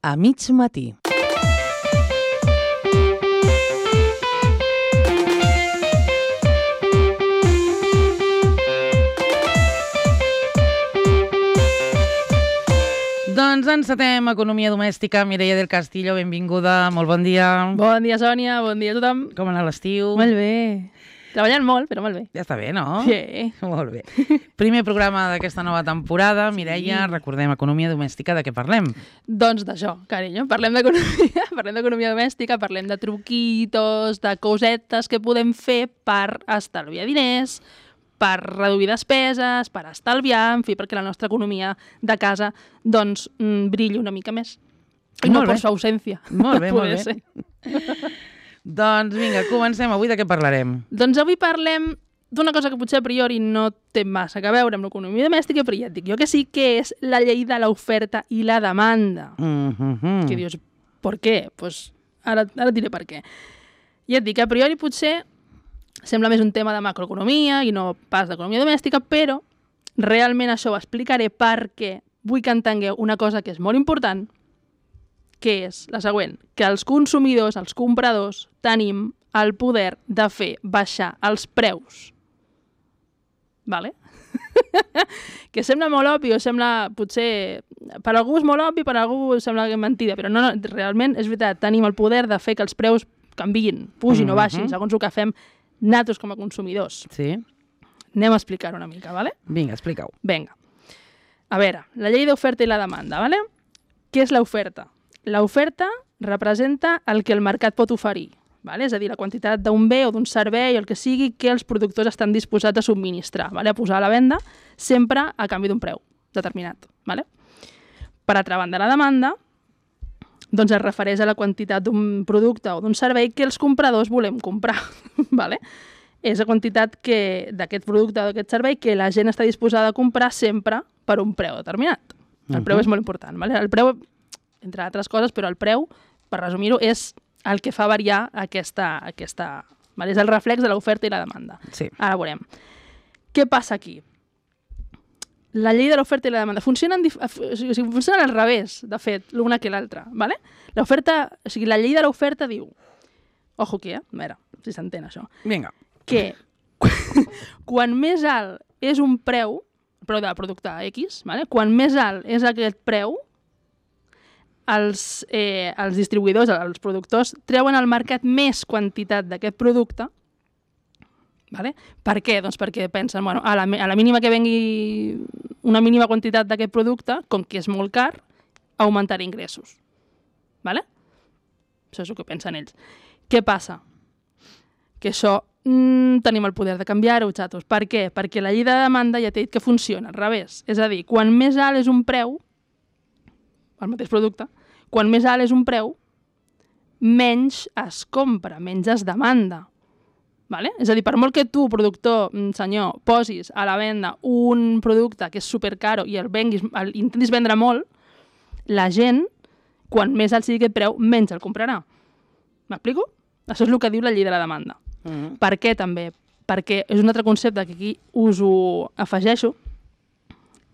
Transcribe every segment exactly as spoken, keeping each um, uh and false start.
A mig matí. Doncs encetem Economia Domèstica. Mireia del Castillo, benvinguda, molt bon dia. Bon dia, Sònia, bon dia a tothom. Com ha anat l'estiu? Molt bé. Treballant molt, però molt bé. Ja està bé, no? Sí. Molt bé. Primer programa d'aquesta nova temporada. Mireia, sí. Recordem Economia Domèstica, de què parlem? Doncs d'això, carinyo. Parlem d'economia, parlem d'economia domèstica, parlem de truquitos, de cosetes que podem fer per estalviar diners, per reduir despeses, per estalviar, en fi, perquè la nostra economia de casa doncs brilli una mica més. I no per su ausència. Molt bé, molt bé. Doncs vinga, comencem. Avui de què parlarem? Doncs avui parlem d'una cosa que potser a priori no té massa a veure amb l'economia domèstica, però ja et dic jo que sí, que és la llei de l'oferta i la demanda. Mm-hmm. Que dius, per què? Pues ara, ara et diré per què. Ja et dic, a priori potser sembla més un tema de macroeconomia i no pas d'economia domèstica, però realment això ho explicaré perquè vull que entengueu una cosa que és molt important, que és la següent, que els consumidors, els compradors, tenim el poder de fer baixar els preus. Vale? Que sembla molt obvi, o sembla, potser, per algú és molt obvi, per algú sembla que és mentida, però no, no, realment és veritat, tenim el poder de fer que els preus canviïn, pugin mm-hmm. o baixin, segons el que fem nosaltres com a consumidors. Sí. Anem a explicar una mica, vale? Vinga, explica-ho. Vinga. A veure, la llei d'oferta i la demanda, vale? Què és l'oferta? L'oferta representa el que el mercat pot oferir, vale? És a dir, la quantitat d'un bé o d'un servei o el que sigui que els productors estan disposats a subministrar, vale? A posar a la venda, sempre a canvi d'un preu determinat. Vale? Per altra banda, la demanda doncs es refereix a la quantitat d'un producte o d'un servei que els compradors volem comprar. Vale? És la quantitat d'aquest producte o d'aquest servei que la gent està disposada a comprar sempre per un preu determinat. El preu uh-huh. és molt important. Vale? El preu, entre altres coses, però el preu, per resumir-ho, és el que fa variar aquesta... aquesta vale? És el reflex de l'oferta i la demanda. Sí. Ara veurem. Què passa aquí? La llei de l'oferta i la demanda funcionen, dif... o sigui, funcionen al revés, de fet, l'una que l'altra. Vale? L'oferta, o sigui, la llei de l'oferta diu... Ojo aquí, eh? A veure, si s'entén això. Vinga. Que quan més alt és un preu, el preu del producte X, vale? Quan més alt és aquest preu, els, eh, els distribuïdors, els productors, treuen al mercat més quantitat d'aquest producte. Vale? Per què? Doncs perquè pensen, bueno, a la, a la mínima que vengui una mínima quantitat d'aquest producte, com que és molt car, augmentarà ingressos. Vale? Això és el que pensen ells. Què passa? Que això mm, tenim el poder de canviar-ho, xatos. Per què? Perquè la llei de demanda ja t'he dit que funciona al revés. És a dir, quan més alt és un preu, el mateix producte, quan més alt és un preu, menys es compra, menys es demanda. Vale? És a dir, per molt que tu, productor, senyor, posis a la venda un producte que és supercaro i el venguis, el intentis vendre molt, la gent, quan més alt sigui aquest preu, menys el comprarà. M'explico? Això és el que diu la llei de la demanda. Mm-hmm. Per què també? Perquè és un altre concepte que aquí us ho afegeixo.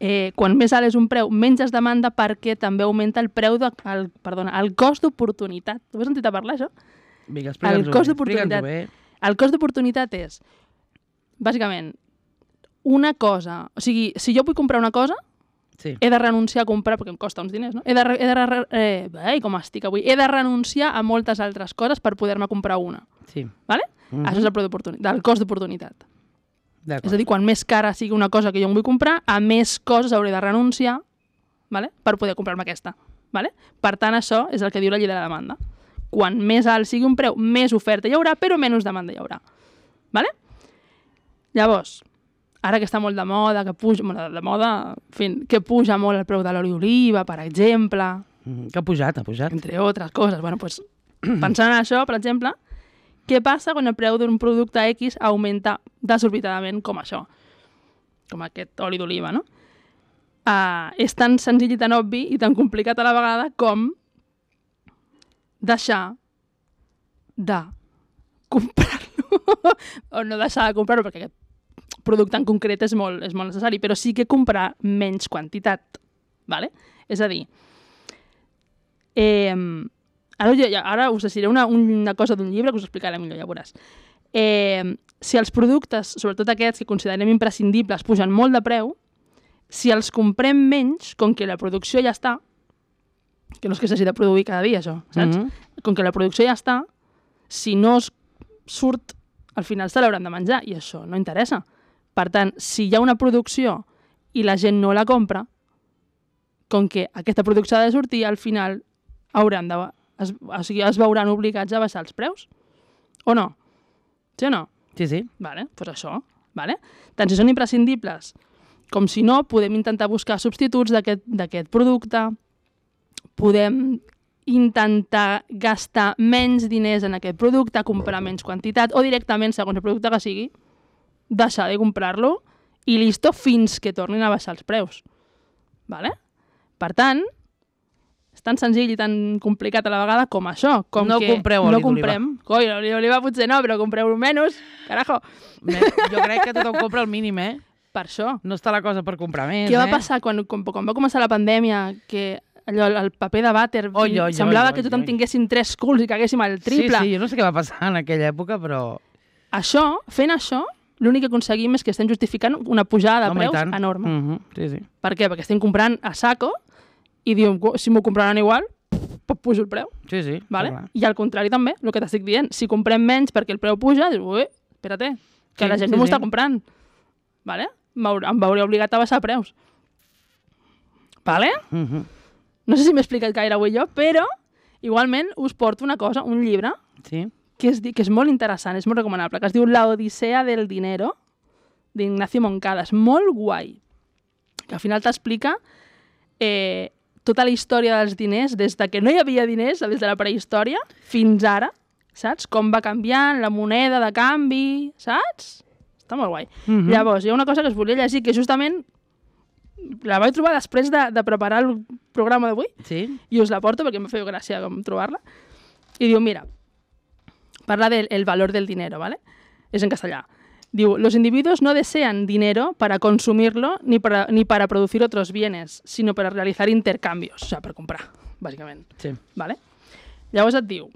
Eh, quan més alt és un preu, menys es demanda perquè també augmenta el preu de, el, perdona, el cost d'oportunitat. Tu has sentit a parlar, això? Vinga, explica'ns-ho el cost d'oportunitat. bé. El cost d'oportunitat és, bàsicament, una cosa... O sigui, si jo vull comprar una cosa, sí. he de renunciar a comprar, perquè em costa uns diners, no? He de, he de, eh, ai, com estic avui? He de renunciar a moltes altres coses per poder-me comprar una. Sí. Vale? Mm-hmm. Això és el preu d'oportunitat, el cost d'oportunitat. És a dir, quan més cara sigui una cosa que jo em vull comprar, a més coses hauré de renunciar, vale? Per poder comprar-me aquesta. Vale? Per tant, això és el que diu la llei de la demanda. Quan més alt sigui un preu, més oferta hi haurà, però menys demanda hi haurà. Vale? Llavors, ara que està molt de moda, que puja, de moda, en fi, que puja molt el preu de l'oli d'oliva, per exemple... Mm, que ha pujat, ha pujat. Entre altres coses. Bueno, pues, pensant en això, per exemple, què passa quan el preu d'un producte X augmenta desorbitadament com això? Com aquest oli d'oliva, no? Uh, és tan senzill i tan obvi i tan complicat a la vegada com deixar de comprar-lo. O no deixar de comprar-lo, perquè aquest producte en concret és molt, és molt necessari, però sí que comprar menys quantitat. Vale? És a dir, Eh, ara, jo, ara us decidiré una, una cosa d'un llibre que us explicaré millor, ja veuràs. Eh, si els productes, sobretot aquests que considerem imprescindibles, pugen molt de preu, si els comprem menys, com que la producció ja està, que no és que s'hagi de produir cada dia, això, saps? Mm -hmm. Com que la producció ja està, si no es surt, al final se l'hauran de menjar, i això no interessa. Per tant, si hi ha una producció i la gent no la compra, com que aquesta producció ha de sortir, al final hauran de, es, o sigui, es veuran obligats a baixar els preus. O no? Sí o no? Sí, sí. Vale, doncs pues això. Vale? Tant si són imprescindibles com si no, podem intentar buscar substituts d'aquest producte, podem intentar gastar menys diners en aquest producte, comprar menys quantitat, o directament, segons el producte que sigui, deixar de comprar-lo i listo fins que tornin a baixar els preus. Vale? Per tant, és tan senzill i tan complicat a la vegada com això. Com no que compreu oli no comprem. Coi, l'oli d'oliva potser no, però compreu-lo menys. Carajo. Jo crec que tothom compra el mínim, eh? Per això. No està la cosa per comprar més, Què eh? va passar quan, quan, quan va començar la pandèmia, que allò, el paper de vàter, oi, oi, semblava oi, que tothom oi. tinguessin tres culs i caguéssim al triple. Sí, sí, jo no sé què va passar en aquella època, però... Això, fent això, l'únic que aconseguim és que estem justificant una pujada de Home, preus enorme. Mm -hmm. Sí, sí. Per què? Perquè estem comprant a saco i diuen, si m'ho compraran igual, pues pujo el preu. Sí, sí. Vale? I al contrari també, el que t'estic dient. Si comprem menys perquè el preu puja, dius, ui, espérate, que sí, la gent sí, no m'ho sí. està comprant. Vale? Em veuré obligat a baixar preus. Vale? Mm -hmm. No sé si m'he explicat gaire avui jo, però igualment us porto una cosa, un llibre, sí. que, és, que és molt interessant, és molt recomanable, que es diu La Odissea del Dinero, d'Ignacio Moncada. És molt guai. Que al final t'explica eh, tota la història dels diners, des de que no hi havia diners, des de la prehistòria, fins ara, saps? Com va canviant la moneda de canvi, saps? Està molt guai. Mm -hmm. Llavors, hi ha una cosa que us volia llegir, que justament la vaig trobar després de, de preparar el programa d'avui, sí. i us la porto perquè em feia gràcia com trobar-la. I diu, mira, parla del el valor del dinero, ¿vale? És en castellà. Diu, los individuos no desean dinero para consumirlo ni para, ni para producir otros bienes, sino para realizar intercambios, o sea, per comprar, bàsicament. Sí. ¿Vale? Llavors et diu,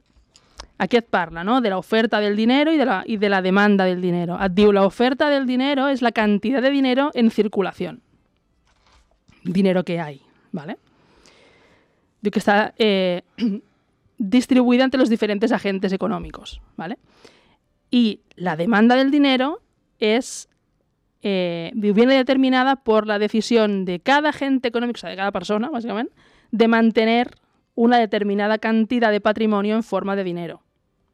aquí et parla, ¿no?, de la oferta del dinero y de la, y de la demanda del dinero. Et diu, la oferta del dinero es la cantidad de dinero en circulación. Dinero que hay, ¿vale? Diu que está eh, distribuida entre los diferentes agentes económicos, ¿vale? Y la demanda del dinero es eh, viene determinada por la decisión de cada agente económico, o sea, de cada persona, básicamente, de mantener una determinada cantidad de patrimonio en forma de dinero,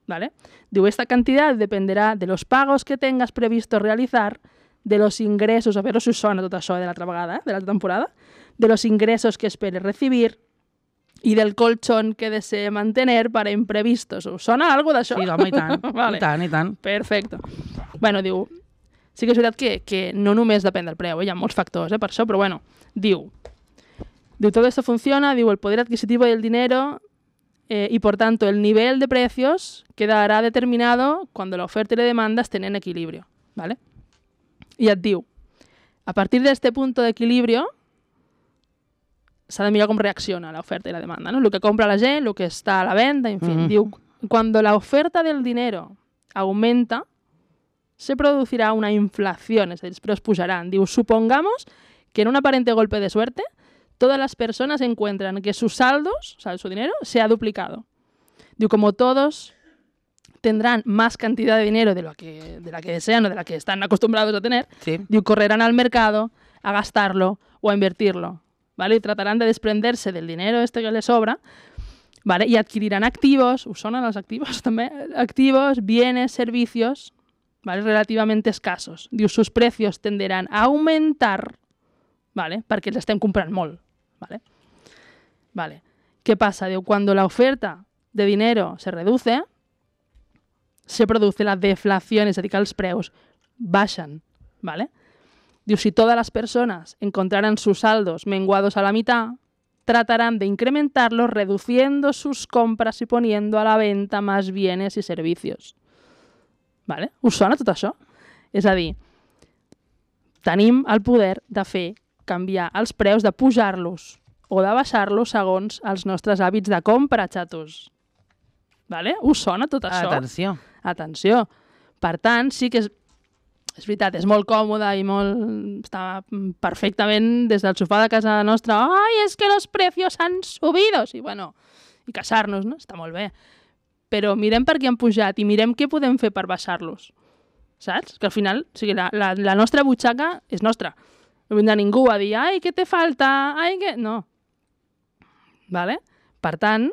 ¿vale? Diu, esta cantidad dependerá de los pagos que tengas previsto realizar, de los ingressos, a veure si us sona tot això de l'altra vegada, eh, de l'altra temporada, de los ingressos que esperes recibir y del colchón que desee mantener para imprevistos. Us sona algo d'això? Sí, home, i tant, vale. i tant, i tant. Perfecto. Bueno, diu, sí que és veritat que, que no només depèn del preu, eh? Hi ha molts factors, eh, per això, però bueno, diu, diu, todo esto funciona, diu, el poder adquisitivo del dinero eh, y por tanto el nivel de precios quedará determinado cuando la oferta y la demanda estén en equilibrio, ¿vale? I et diu, a partir d'este punto de equilibrio s'ha de mirar com reacciona la oferta y la demanda, ¿no? El que compra la gent, el que està a la venda, en fin. Mm-hmm. Diu, cuando la oferta del dinero aumenta, se producirá una inflación, es decir, los precios pujarán. Diu, supongamos que en un aparente golpe de suerte, todas las personas encuentran que sus saldos, o sea, su dinero, se ha duplicado. Diu, como todos tendrán más cantidad de dinero de, lo que, de la que desean o de la que están acostumbrados a tener, sí. Diu, correrán al mercado a gastarlo o a invertirlo, ¿vale? Y tratarán de desprenderse del dinero este que les sobra, ¿vale? Y adquirirán activos, ¿us sonen los activos también? Activos, bienes, servicios, ¿vale? Relativamente escasos. Diu, sus precios tenderán a aumentar, ¿vale? Perquè els estem comprant molt, ¿vale? Vale. ¿Qué pasa? Diu, cuando la oferta de dinero se reduce, se produce la deflación, es decir, que els preus baixen, ¿vale? Diu, si todas las personas encontraran sus saldos menguados a la mitad, tratarán de incrementarlos reduciendo sus compras y poniendo a la venta más bienes y servicios. ¿Vale? Us sona tot això? És a dir, tenim el poder de fer canviar els preus, de pujar-los o de baixar-los segons els nostres hàbits de compra, xatos. Vale? Us sona tot això? Atenció. Atenció. Per tant, sí que és, és veritat, és molt còmode i molt... està perfectament des del sofà de casa nostra. Ai, és que los precios han subido. I bueno, i queixar-nos, no? Està molt bé. Però mirem per què han pujat i mirem què podem fer per baixar-los. Saps? Que al final, o sigui, la, la, la nostra butxaca és nostra. No vindrà ningú a dir, ai, què te falta? Ai, què... No. Vale? Per tant,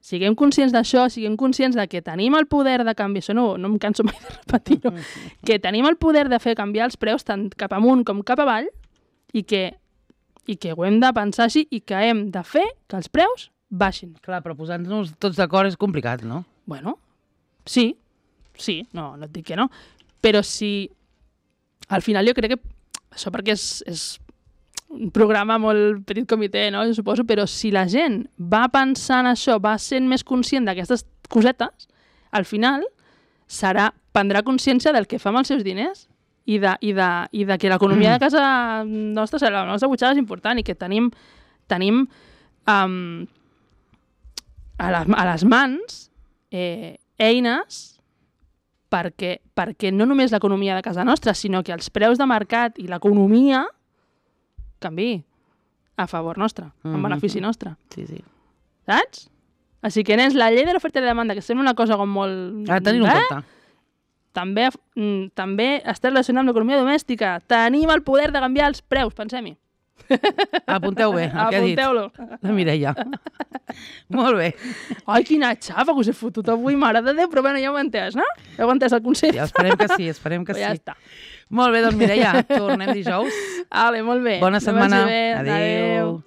siguem conscients d'això, siguem conscients de que tenim el poder de canviar, això no, no em canso mai de repetir-ho, que tenim el poder de fer canviar els preus tant cap amunt com cap avall i que, i que ho hem de pensar així i que hem de fer que els preus baixin. Clar, però posant-nos tots d'acord és complicat, no? Bueno, sí, sí, no, no et dic que no, però si al final jo crec que això perquè és, és un programa molt petit comitè, no? Jo suposo, però si la gent va pensant això, va sent més conscient d'aquestes cosetes, al final serà, prendrà consciència del que fa amb els seus diners i de, i de, i de que l'economia de casa nostra, la nostra butxaca és important i que tenim, tenim um, a, les, a les mans eh, eines perquè, perquè no només l'economia de casa nostra, sinó que els preus de mercat i l'economia canvi a favor nostre, en Mm-hmm. benefici nostre. Sí, sí. Saps? Així que, nens, la llei de l'oferta i la demanda, que sembla una cosa com molt... Ha de tenir-ho en eh? compte. També, mm, també està relacionat amb l'economia domèstica. Tenim el poder de canviar els preus, pensem-hi. Apunteu bé, el que ha dit Apunteu-lo. la Mireia. Molt bé. Ai, quina xafa que us he fotut avui, mare de Déu, però bueno, ja ho he entès, no? Ja ho he entès el concepte. Ja, esperem que sí, esperem que Però ja sí. està. Molt bé, doncs Mireia, tornem dijous. Vale, molt bé. Bona Que setmana. vagi bé. Adéu. Adéu.